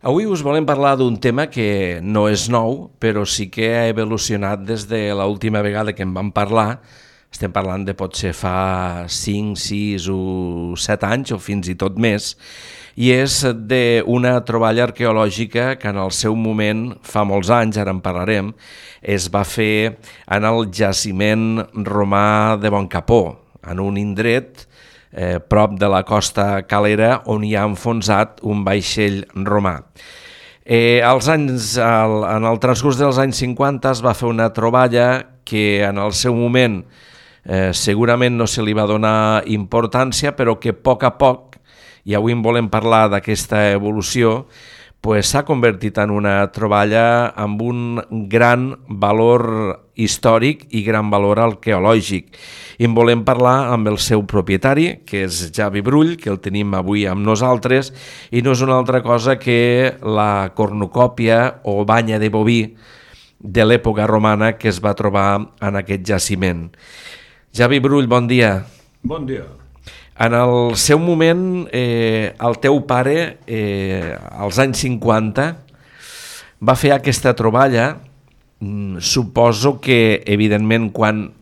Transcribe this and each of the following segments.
Avui us volem parlar d'un tema que no és nou, però sí que ha evolucionat des de l'última vegada que en vam parlar. Estem parlant de potser fa 5, 6 o 7 anys o fins i tot més, i és d'una troballa arqueològica que en el seu moment, fa molts anys, ara en parlarem, es va fer en el jaciment romà de Boncapó, en un indret prop de la costa calera on hi ha enfonsat un vaixell romà. En el transcurs dels anys 50 es va fer una troballa que en el seu moment segurament no se li va donar importància, però que a poc, i avui en volem parlar d'aquesta evolució, s'ha convertit en una troballa amb un gran valor històric i gran valor arqueològic. I en volem parlar amb el seu propietari, que és Javi Brull, que el tenim avui amb nosaltres, i no és una altra cosa que la cornucòpia o banya de boví de l'època romana que es va trobar en aquest jaciment. Javi Brull, bon dia. Bon dia. En el seu moment, el teu pare, als anys 50, va fer aquesta troballa. Suposo que, evidentment, quan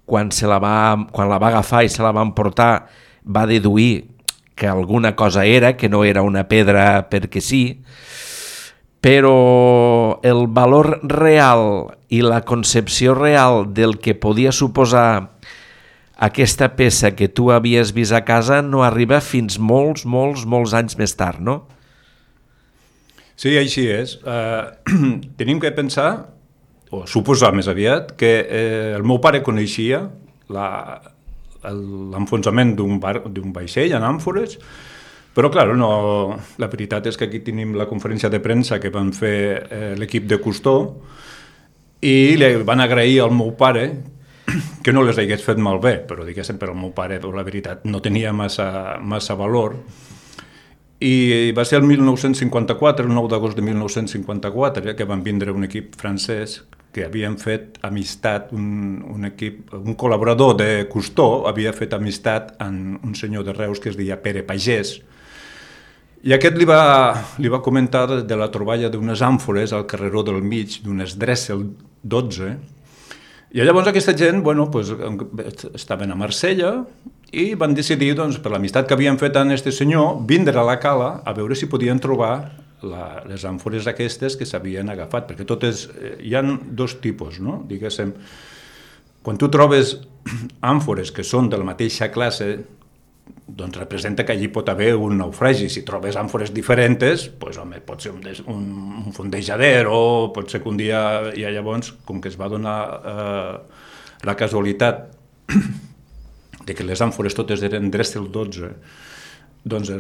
la va agafar i se la va emportar, va deduir que alguna cosa era, que no era una pedra perquè sí, però el valor real i la concepció real del que podia suposar aquesta peça que tu havies vist a casa no arriba fins molts anys més tard, no? Sí, així és. Tenim que pensar, o suposar més aviat, que el meu pare coneixia l'enfonsament d'un vaixell en àmfores, però, clar, la veritat és que aquí tenim la conferència de premsa que van fer l'equip de Cousteau i li van agrair al meu pare que no les hagués fet malbé, però diguéssim, per al meu pare, la veritat, no tenia massa valor. I va ser el 1954, el 9 d'agost de 1954, que van vindre un equip francès que havien fet amistat, un col·laborador de Cousteau havia fet amistat amb un senyor de Reus que es deia Pere Pagès, i aquest li va comentar de la troballa d'unes àmfores al carreró del mig, d'unes Dressel 12, i llavors aquesta gent estaven a Marsella i van decidir, per l'amistat que havien fet amb aquest senyor, vindre a la cala a veure si podien trobar les àmfores aquestes que s'havien agafat, perquè hi ha dos tipus, no? Diguéssim, quan tu trobes àmfores que són de la mateixa classe, doncs representa que allí pot haver un naufragi. Si trobes àmfores diferents, pot ser un fondejader o pot ser que un dia, i llavors, com que es va donar la casualitat de que les àmfores totes eren Dressel 12, doncs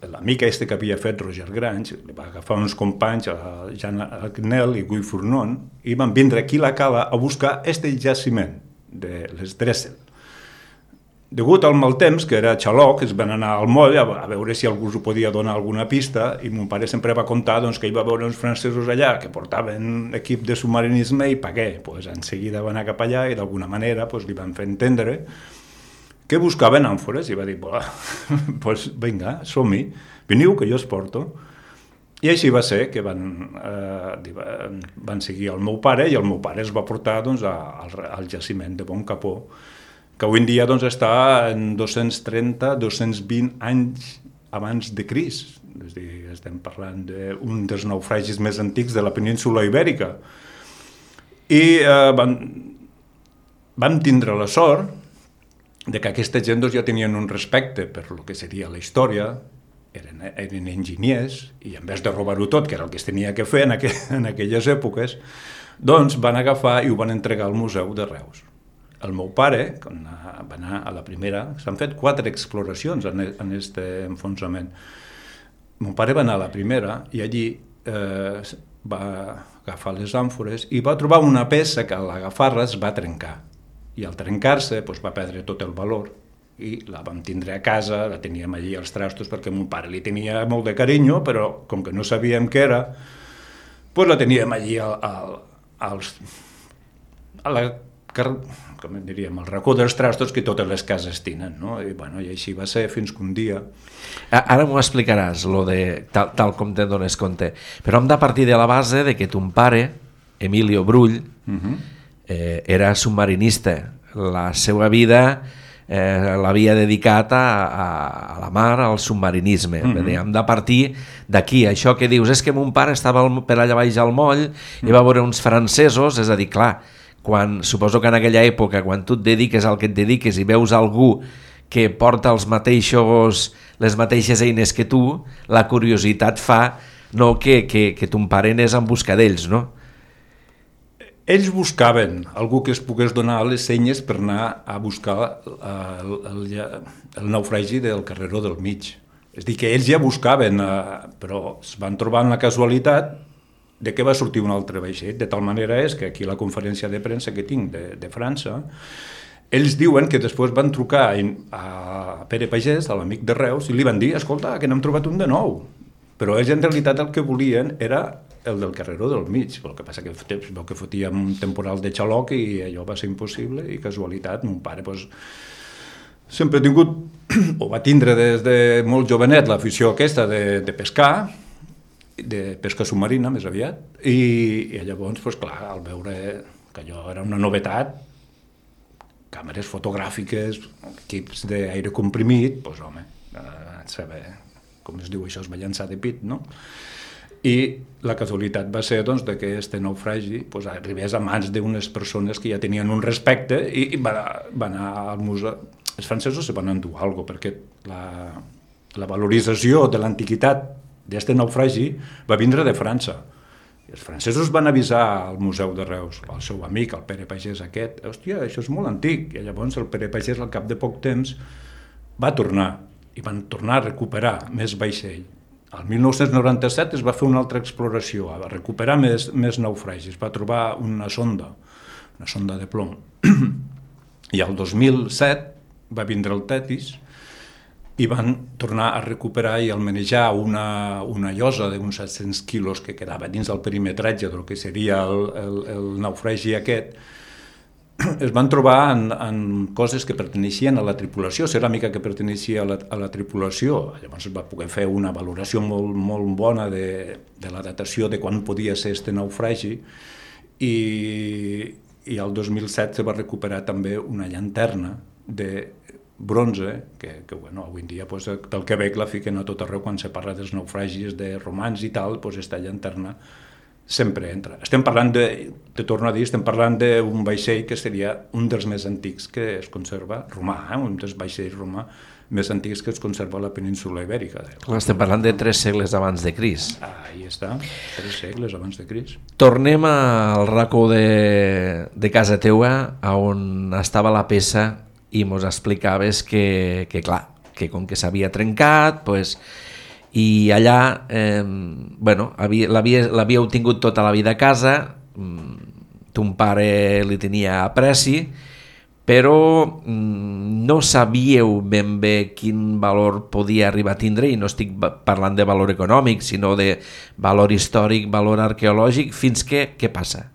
l'amic que havia fet Roger Grange va agafar uns companys, Jean Agnel i Guy Fournon, i van vindre aquí a la cala a buscar este jaciment de les Dressel. Degut al mal temps, que era xaloc, es van anar al moll a veure si algú us podia donar alguna pista, i mon pare sempre va contar que hi va veure uns francesos allà que portaven equip de submarinisme i pagué. En seguida van anar cap allà i d'alguna manera li van fer entendre que buscaven àmfores i va dir, vinga, som-hi, veniu que jo us porto. I així va ser que van seguir el meu pare i el meu pare es va portar al jaciment de Boncapó, que avui en dia està en 230-220 anys abans de Crist. És a dir, estem parlant d'un dels naufragis més antics de la península Ibèrica. I vam tindre la sort de que aquesta gent ja tenien un respecte per el que seria la història, eren enginyers, i en vez de robar-ho tot, que era el que es tenia que fer en aquelles èpoques, doncs van agafar i ho van entregar al Museu de Reus. El meu pare, quan va anar a la primera, s'han fet 4 exploracions en aquest enfonsament. Mon pare va anar a la primera i allí va agafar les àmfores i va trobar una peça que a l'agafar-la es va trencar. I al trencar-se va perdre tot el valor i la vam tindre a casa, la teníem allí als trastos perquè mon pare li tenia molt de carinyo, però com que no sabíem què era, la teníem allí a la com en diríem, el racó dels trastos que totes les cases tenen, no? I així va ser fins que un dia... Ara m'ho explicaràs, tal com te'n dones compte, però hem de partir de la base de que ton pare, Emilio Brull, era submarinista. La seva vida l'havia dedicat a la mar, al submarinisme. Hem de partir d'aquí. Això que dius, és que mon pare estava per allà baix al moll i va veure uns francesos, és a dir, clar, suposo que en aquella època, quan tu et dediques al que et dediques i veus algú que porta les mateixes eines que tu, la curiositat fa que ton pare anés en busca d'ells, no? Ells buscaven algú que es pogués donar les senyes per anar a buscar el naufragi del Carreró del Mig. És a dir, que ells ja buscaven, però es van trobar en la casualitat de que va sortir un altre vaixell. De tal manera és que aquí a la conferència de premsa que tinc de França, ells diuen que després van trucar a Pere Pagès, a l'amic de Reus, i li van dir, escolta, que n'hem trobat un de nou. Però ells en realitat el que volien era el del Carreró del Mig. El que passa que es veu que fotia un temporal de xaloc i allò va ser impossible, i casualitat, mon pare sempre ha tingut, o va tindre des de molt jovenet, l'afició aquesta de pescar, de pesca submarina més aviat, i llavors, clar, al veure que allò era una novetat, càmeres fotogràfiques, equips d'aire comprimit, home, saber com es diu això, es va llançar de pit, no? I la casualitat va ser que aquest naufragi arribés a mans d'unes persones que ja tenien un respecte i va anar al museu. Els francesos se van endur alguna cosa, perquè la valorització de l'antiguitat d'aquest naufragi va vindre de França. I els francesos van avisar al Museu de Reus, al seu amic, el Pere Pagès aquest, hòstia, això és molt antic. I llavors el Pere Pagès, al cap de poc temps, va tornar, i van tornar a recuperar més vaixell. El 1997 es va fer una altra exploració, a recuperar més naufragis, va trobar una sonda de plom. I el 2007 va vindre el Tetis i van tornar a recuperar i almenejar una llosa d'uns 700 quilos que quedava dins del perimetratge del que seria el naufragi aquest. Es van trobar en coses que perteneixien a la tripulació, ceràmica que perteneixia a la tripulació. Llavors es va poder fer una valoració molt bona de la datació de quan podia ser aquest naufragi, i el 2007 se va recuperar també una llanterna de bronze, que avui en dia, pel que veig, la fiquen a tot arreu quan se parla dels naufragis de romans i tal, aquesta llanterna sempre entra. Estem parlant te torno a dir, estem parlant d'un vaixell que seria un dels més antics que es conserva, romà, un dels vaixells romà més antics que es conserva a la península Ibèrica. Estem parlant de 3 segles abans de Crist. Ahí està, 3 segles abans de Crist. Tornem al racó de casa teua, on estava la peça, i mos explicaves que clar, que com que s'havia trencat, i allà l'havíeu tingut tota la vida a casa, ton pare li tenia apreci, però no sabíeu ben bé quin valor podia arribar a tindre, i no estic parlant de valor econòmic, sinó de valor històric, valor arqueològic. Fins que què passa?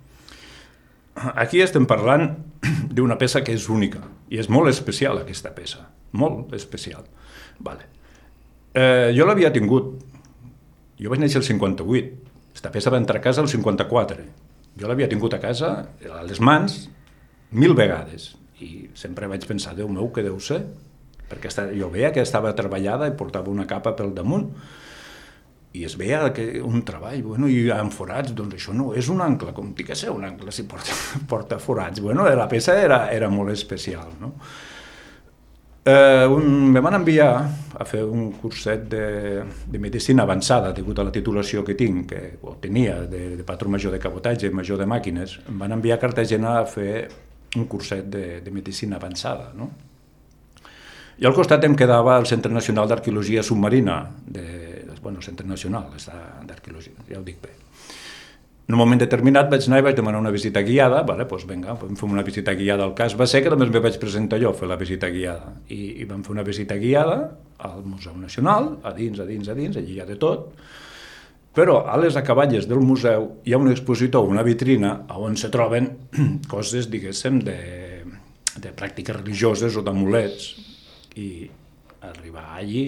Aquí estem parlant d'una peça que és única, i és molt especial aquesta peça, molt especial. Vale. Jo l'havia tingut, jo vaig néixer el 58, aquesta peça va entrar a casa el 54, jo l'havia tingut a casa, a les mans, 1000 vegades, i sempre vaig pensar, Déu meu, què deu ser? Perquè jo veia que estava treballada i portava una capa pel damunt, i es veia un treball, i amb forats, doncs això no és un ancle, com té que ser un ancle si porta forats. La peça era molt especial, no? Me van enviar a fer un curset de medicina avançada, degut a la titulació que tinc, o tenia, de patró major de cabotatge, major de màquines. Em van enviar a Cartagena a fer un curset de medicina avançada, no? I al costat em quedava el Centre Nacional d'Arqueologia Submarina, Centre Nacional d'Arqueologia, ja ho dic bé. En un moment determinat vaig anar i vaig demanar una visita guiada, vam fer una visita guiada al cas. Va ser que només me vaig presentar jo a fer la visita guiada, i vam fer una visita guiada al Museu Nacional, a dins, allí hi ha de tot, Però a les acaballes del museu hi ha un expositor, una vitrina, on se troben coses, diguéssim, de pràctiques religioses o d'amulets. I arribar allí,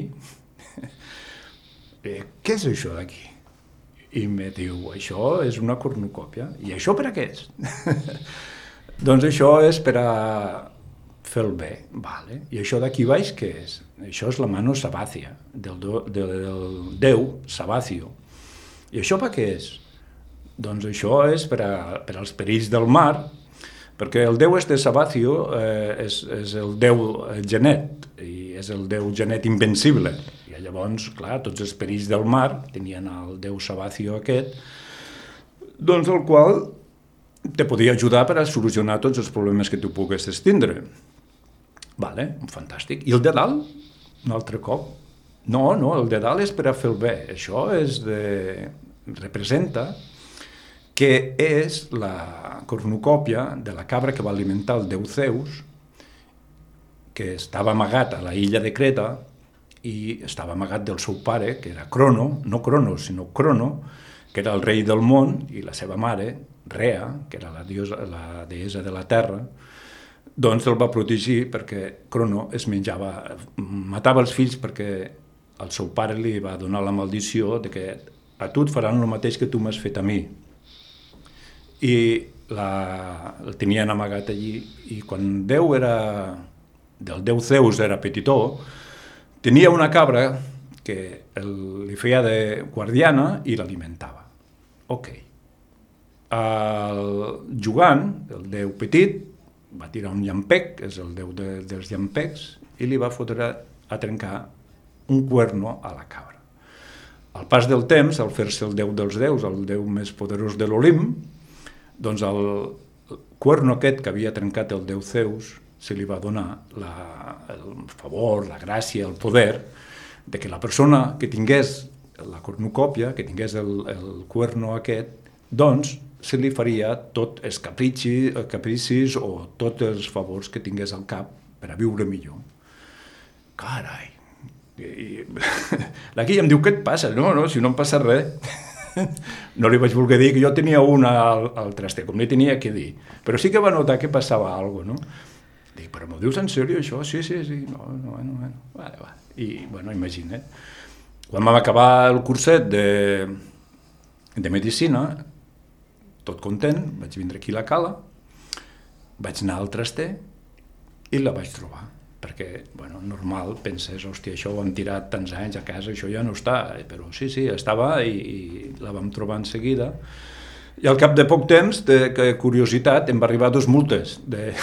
què és això d'aquí? I me diu, això és una cornucòpia. I això per a què és? Doncs això és per a fer el bé. Vale. I això d'aquí baix què és? Això és la mano sabàcia, del déu Sabacio. I això per què és? Doncs això és per als perills del mar, perquè el déu Sabacio és el déu genet, i és el déu genet invencible. I llavors, clar, tots els perills del mar tenien el déu Sabacio aquest, doncs el qual te podia ajudar per a solucionar tots els problemes que tu poguessis tindre. Vale, fantàstic. I el de dalt? Un altre cop? No, el de dalt és per a fer el bé. Això representa que és la cornucòpia de la cabra que va alimentar el déu Zeus, que estava amagat a la illa de Creta i estava amagat del seu pare, que era Crono, no Cronos, sinó Crono, que era el rei del món, i la seva mare, Rea, que era la deessa de la terra, doncs el va protegir perquè Crono matava els fills perquè el seu pare li va donar la maldició de que a tu et faran el mateix que tu m'has fet a mi. I el tenien amagat allí, i quan del déu Zeus era petitó, tenia una cabra que li feia de guardiana i l'alimentava. Ok. Jugant, el déu petit va tirar un llampec, que és el déu dels llampecs, i li va fotre a trencar un cuerno a la cabra. Al pas del temps, al fer-se el déu dels déus, el déu més poderós de l'Olimp, doncs el cuerno aquest que havia trencat el déu Zeus se li va donar el favor, la gràcia, el poder de que la persona que tingués la cornucòpia, que tingués el cuerno aquest, doncs se li faria tots els capricis o tots els favors que tingués al cap per a viure millor. Carai! La Guilla em diu, què et passa? No, si no em passa res. No li vaig voler dir que jo tenia una al traster, com li tenia que dir. Però sí que va notar que passava alguna cosa, no? Dic, però m'ho dius en sèrio, això? Sí. No. Vale. I, imagina't. Quan vam acabar el curset de medicina, tot content, vaig vindre aquí a la Cala, vaig anar al traster i la vaig trobar. Perquè, normal, penses, hòstia, això ho hem tirat tants anys a casa, això ja no està, però sí, estava i la vam trobar en seguida. I al cap de poc temps, de curiositat, em va arribar 2 multes de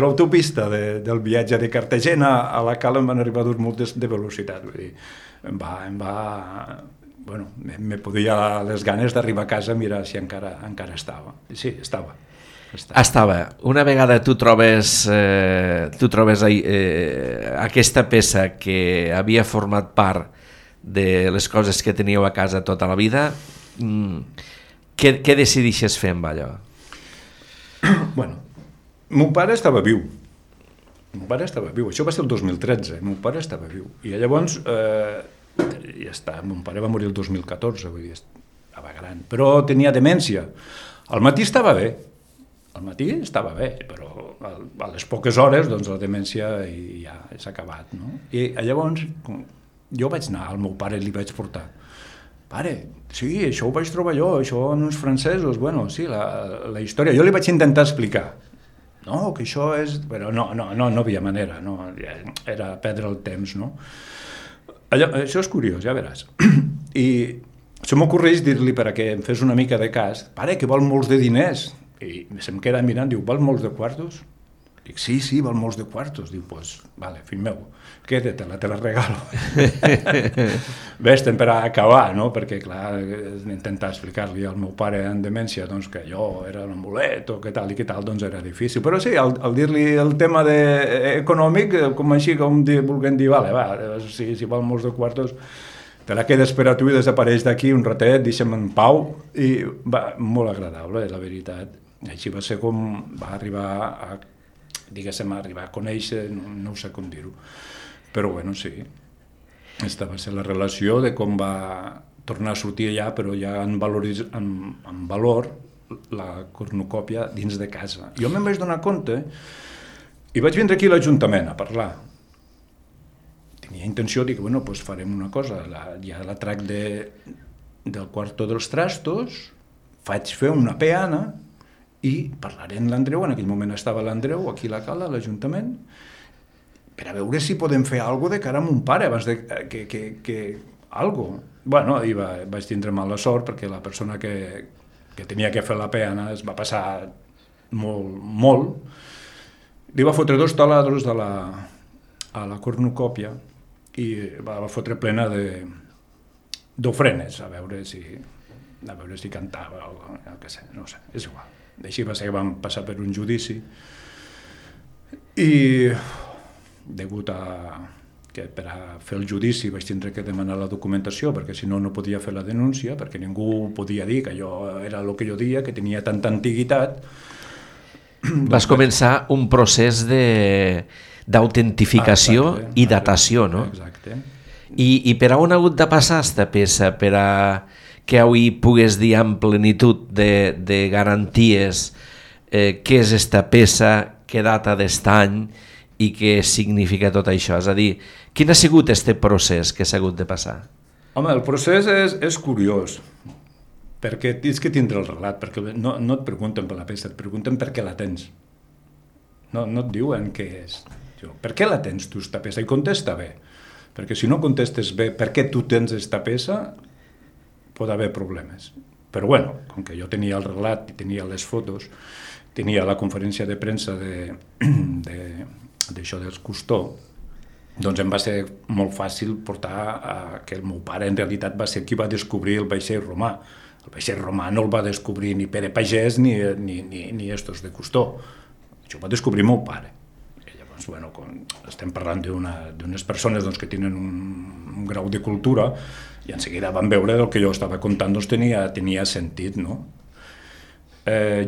l'autopista, del viatge de Cartagena a la Cala, em van arribar 2 multes de velocitat. Vull dir, me podia les ganes d'arribar a casa a mirar si encara estava. Sí, estava. Una vegada tu trobes aquesta peça que havia format part de les coses que teníeu a casa tota la vida, què decidixes fer amb allò? Meu pare estava viu. Això va ser el 2013, meu pare estava viu. I llavors, ja està, meu pare va morir el 2014, vull dir, estava gran, però tenia demència. Al matí estava bé, però a les poques hores, doncs, la demència ja s'ha acabat, no? I llavors, jo vaig anar al meu pare i li vaig portar. Pare, sí, això ho vaig trobar jo, això en uns francesos, sí, la història. Jo li vaig intentar explicar. No, que això és... Però no havia manera, no, era perdre el temps, no? Això és curiós, ja veràs. I se m'ocorreix dir-li perquè em fes una mica de cas, pare, que val molts de diners. I se'm queda mirant, diu, val molts de quartos? Dic, sí, val molts de quartos. Diu, vale, fill meu, quédatela, te la regalo. Ves-te'n per acabar, no? Perquè, clar, intentar explicar-li al meu pare en demència doncs, que jo era un amulet o què tal, doncs era difícil. Però sí, al dir-li el tema econòmic, com així, com vulguem dir, vale, si val molts de quartos, te la quedes per a tu i desapareix d'aquí un ratet, deixa'm en pau, i va, molt agradable, la veritat. Així va ser com va arribar a conèixer, no sé com dir-ho, però sí, aquesta va ser la relació de com va tornar a sortir allà, però ja en valor la cornucòpia dins de casa. Jo me'n vaig donar compte i vaig vindre aquí a l'Ajuntament a parlar. Tenia intenció de dir, bueno, doncs farem una cosa, ja la trac del quarto dels trastos, faig fer una peana i parlaré amb l'Andreu, en aquell moment estava l'Andreu aquí a la Cala, a l'Ajuntament, per a veure si podem fer alguna cosa de cara a mon pare, abans de que algo. Bueno, i vaig tindre mala sort perquè la persona que tenia que fer la peana es va passar molt. Li va fotre 2 taladros a la cornucòpia i va fotre plena d'ofrenes, a veure si cantava o què sé, no sé, és igual. Així va ser que vam passar per un judici i degut a que per a fer el judici vaig tindre que demanar la documentació perquè si no podia fer la denúncia, perquè ningú podia dir que allò era el que jo deia, que tenia tanta antiguitat. Vas començar un procés d'autentificació i datació, no? Exacte. I per on ha hagut de passar aquesta peça per a que avui pugues dir amb plenitud de garanties què és aquesta peça, què data d'est any i què significa tot això? És a dir, quin ha sigut aquest procés que s'ha hagut de passar? Home, el procés és curiós, perquè tens que tindre el relat, perquè no et pregunten per la peça, et pregunten per què la tens. No et diuen què és. Per què la tens tu, aquesta peça? I contesta bé, perquè si no contestes bé per què tu tens aquesta peça, pot haver problemes. Però bueno, com que jo tenia el relat i tenia les fotos, tenia la conferència de premsa d'això dels Cousteau, doncs em va ser molt fàcil portar que el meu pare en realitat va ser qui va descobrir el vaixell romà. El vaixell romà no el va descobrir ni Pere Pagès ni estos de Cousteau. Això ho va descobrir el meu pare. I llavors, bueno, estem parlant d'unes persones doncs, que tenen un grau de cultura i en seguida van veure el que jo estava contant doncs, tenia sentit, no?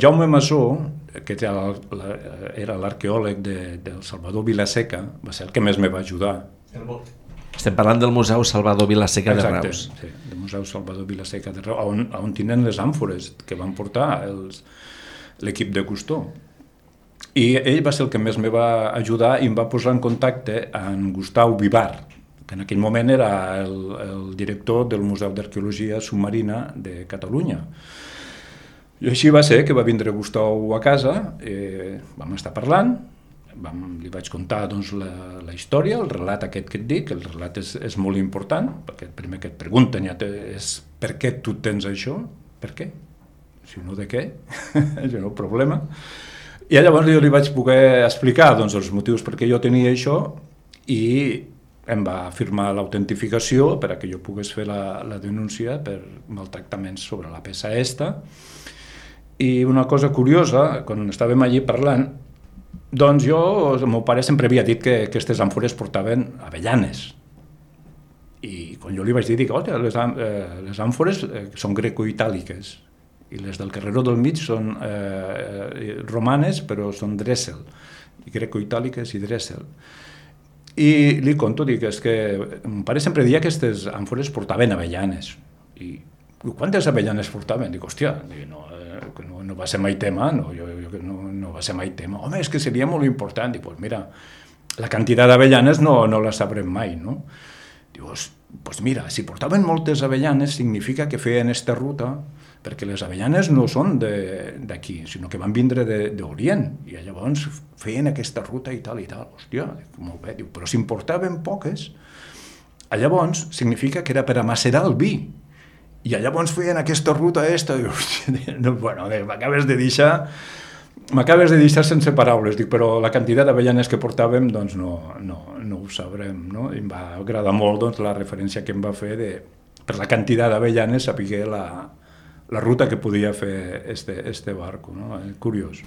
Jaume Masó, que era l'arqueòleg del Salvador Vilaseca, va ser el que més me va ajudar. Estem parlant del Museu Salvador Vilaseca de Reus. Exacte, sí, del Museu Salvador Vilaseca de Reus, on tenen les àmfores que van portar l'equip de Cousteau. I ell va ser el que més me va ajudar i em va posar en contacte amb Gustau Vivar, que en aquell moment era el director del Museu d'Arqueologia Submarina de Catalunya. I així va ser que va vindre Gustau a casa, vam estar parlant, li vaig contar doncs, la història, el relat aquest que et dic, el relat és molt important, perquè el primer que et pregunten ja és per què tu tens això? Per què? Si no, de què? És un problema. I llavors jo li vaig poder explicar doncs, els motius per què jo tenia això i em va firmar l'autentificació per a que jo pogués fer la denúncia per maltractaments sobre la peça esta. I una cosa curiosa, quan estàvem allí parlant, doncs el meu pare sempre havia dit que aquestes àmfores portaven avellanes. I quan jo li vaig dir, les àmfores són greco-itàliques i les del Carreró del Mig són romanes, però són drèssel, greco-itàliques i drèssel. I li conto, dic, és que mon pare sempre deia que aquestes àmfores portaven avellanes. I quantes avellanes portaven? Dic, hòstia, no va ser mai tema, no va ser mai tema. Home, és que seria molt important. Dic, pues mira, la quantitat d'avellanes no la sabrem mai, no? Dius, pues mira, si portaven moltes avellanes significa que feien aquesta ruta, perquè les avellanes no són d'aquí, sinó que van vindre d'Orient, i llavors feien aquesta ruta i tal. Hòstia, molt bé. Diu, però si en portaven poques, llavors significa que era per amacerar el vi. I llavors feien aquesta ruta bueno, m'acabes de deixar sense paraules, dic, però la quantitat d'avellanes que portàvem doncs no ho sabrem, no? I em va agradar molt doncs, la referència que em va fer per la quantitat d'avellanes saber la ruta que podia fer este barco, no? Curiós.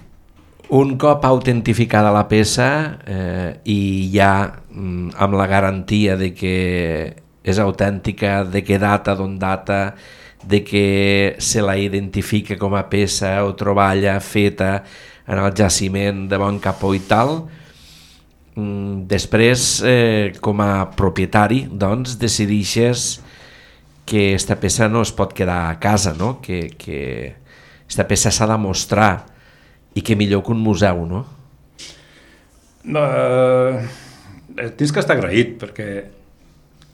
Un cop autentificada la peça i ja amb la garantia de que és autèntica, de què data, d'on data, de que se la identifica com a peça o troballa feta en el jaciment de Bon Capó i tal, després, com a propietari, doncs, decideixes que esta peça no es pot quedar a casa, no? Que esta peça s'ha de mostrar i que millor que un museu, no? Tens que estar agraït, perquè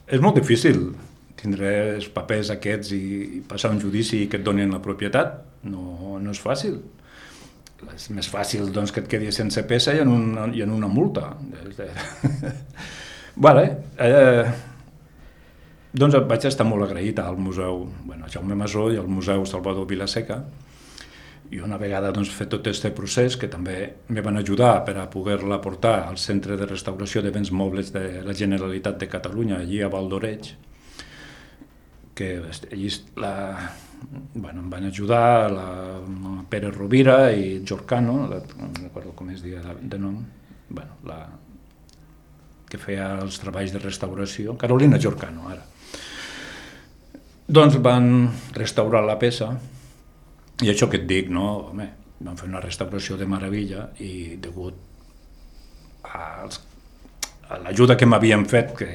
és molt difícil tindre els papers aquests i passar un judici i que et donin la propietat. No és fàcil. És més fàcil doncs, que et quedi sense peça i en una multa. Vale. Doncs vaig estar molt agraït al museu Jaume Masó i al museu Salvador Vilaseca, i una vegada doncs, fet tot aquest procés, que també me van ajudar per a poder-la portar al Centre de Restauració de Béns Mobles de la Generalitat de Catalunya, allí a Valdoreig, que allí em van ajudar la Pere Rovira i Jorcano, no recordo com es deia de nom, que feia els treballs de restauració, Carolina Jorcano, ara. Doncs van restaurar la peça, i això que et dic, no? Home, van fer una restauració de meravella i degut a l'ajuda que m'havien fet, que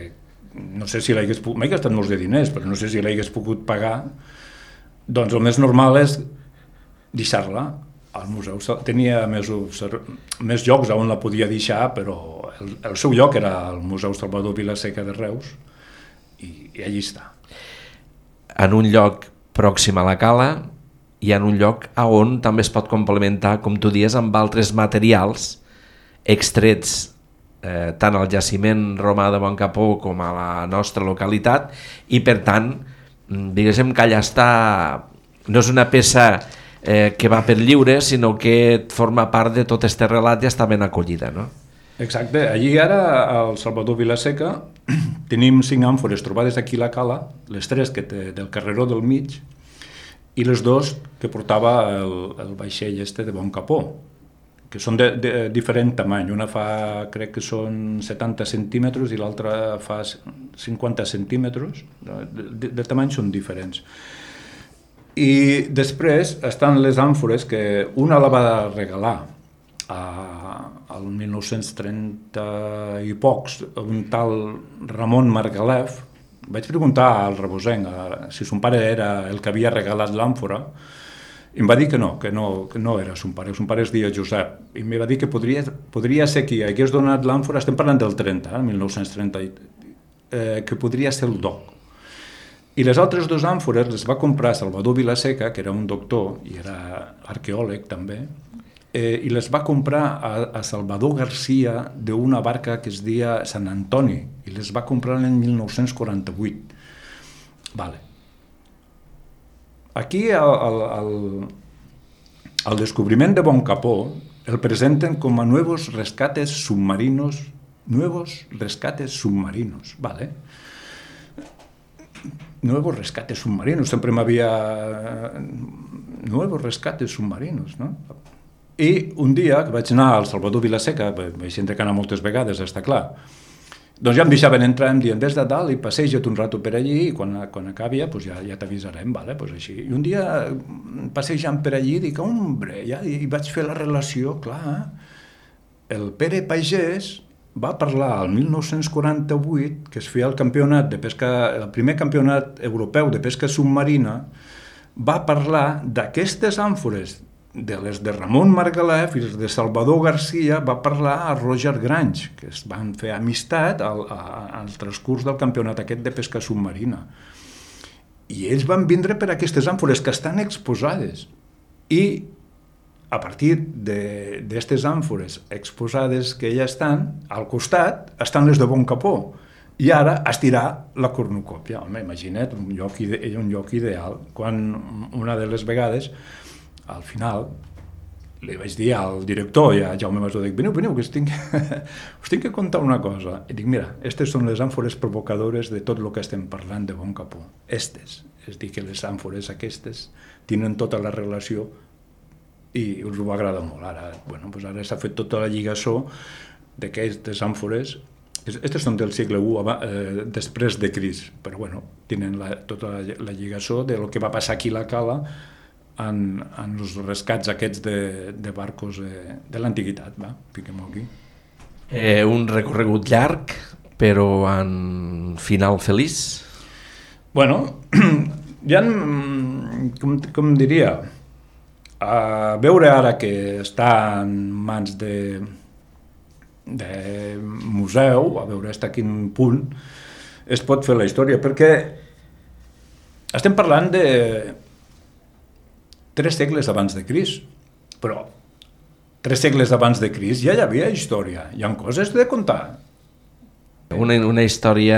no sé si l'hagués pogut, m'he gastat molts de diners, però no sé si l'hagués pogut pagar, doncs el més normal és deixar-la al museu. Tenia més llocs on la podia deixar, però el seu lloc era el Museu Salvador Vilaseca de Reus, i allí està. En un lloc pròxim a la cala i en un lloc on també es pot complementar, com tu dius, amb altres materials extrets tant al jaciment romà de Boncapó com a la nostra localitat, i per tant, diguéssim que allà està, no és una peça que va per lliure, sinó que forma part de tot este relat i està ben acollida, no? Exacte, allí ara al Salvador Vilaseca tenim 5 àmfores trobades aquí a la cala, les 3 que té del carreró del mig i les 2 que portava el vaixell de Boncapó, que són de diferent tamany. Una fa, crec que són 70 centímetres i l'altra fa 50 centímetres, de tamany són diferents. I després estan les àmfores, que una la va regalar al 1930 i pocs, un tal Ramon Margalef. Vaig preguntar al rebosenc si son pare era el que havia regalat l'àmfora, i em va dir que no era son pare es deia Josep, i em va dir que podria ser qui hagués donat l'àmfora, estem parlant del 30, 1930, que podria ser el doc. I les altres 2 àmfores les va comprar Salvador Vilaseca, que era un doctor i era arqueòleg també, i les va comprar a Salvador Garcia d'una barca que es deia Sant Antoni, i les va comprar l'any 1948. Vale. Aquí el descobriment de Boncapó el presenten com a nuevos rescates submarinos, vale. Nuevos rescates submarinos, sempre m'havia... Nuevos rescates submarinos, no? I un dia que vaig anar al Salvador Vilaseca, vaig sempre anar moltes vegades, està clar, doncs ja em deixaven entrar, em diuen, des de dalt i passeja't un rato per allí i quan acabi ja t'avisarem, vale? Pues així. I un dia passejant per allí dic, hombre, i vaig fer la relació, clar, el Pere Pagès va parlar al 1948 que es feia el campionat de pesca, el primer campionat europeu de pesca submarina, va parlar d'aquestes àmfores, de les de Ramon Margalef i les de Salvador Garcia, va parlar a Roger Grange, que es van fer amistat al transcurs del campionat aquest de pesca submarina. I ells van vindre per aquestes àmfores que estan exposades. I a partir d'aquestes àmfores exposades que ja estan, al costat estan les de Boncapó. I ara estirar la cornucòpia. Home, imagina't, un lloc ideal. Quan una de les vegades, al final, li vaig dir al director i a Jaume Masó, dic, veniu, que us tinc que contar una cosa. I dic, mira, aquestes són les àmfores provocadores de tot el que estem parlant de Boncapó. Estes, és dir, que les àmfores aquestes tenen tota la relació i us ho va agradar molt. Ara s'ha fet tota la lligassó d'aquestes àmfores. Aquestes són del segle I després de Crist, però tenen tota la lligassó del que va passar aquí a la cala en els rescats aquests de barcos de l'antiguitat, fiquem-ho aquí. Un recorregut llarg, però en final feliç? Bueno, ja, com diria, a veure ara que està en mans de museu, a veure fins a quin punt es pot fer la història, perquè estem parlant de 3 segles abans de Crist, però 3 segles abans de Crist ja hi havia història, hi ha coses de contar. Una història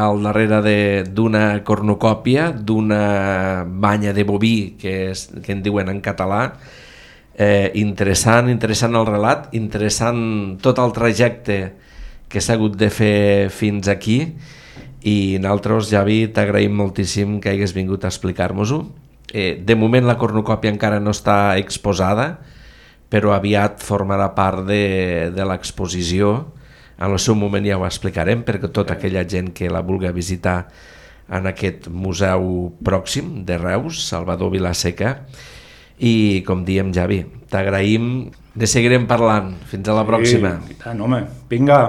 al darrere d'una cornucòpia, d'una banya de boví, que en diuen en català. Interessant el relat, interessant tot el trajecte que s'ha hagut de fer fins aquí, i nosaltres, Javi, t'agraïm moltíssim que hagués vingut a explicar-nos-ho. De moment la cornucòpia encara no està exposada, però aviat formarà part de l'exposició. En el seu moment ja ho explicarem, perquè tota aquella gent que la vulgui visitar en aquest museu pròxim de Reus, Salvador Vilaseca. I com diem, Javi, t'agraïm, ne seguirem parlant. Fins a la pròxima. I tant, home, vinga.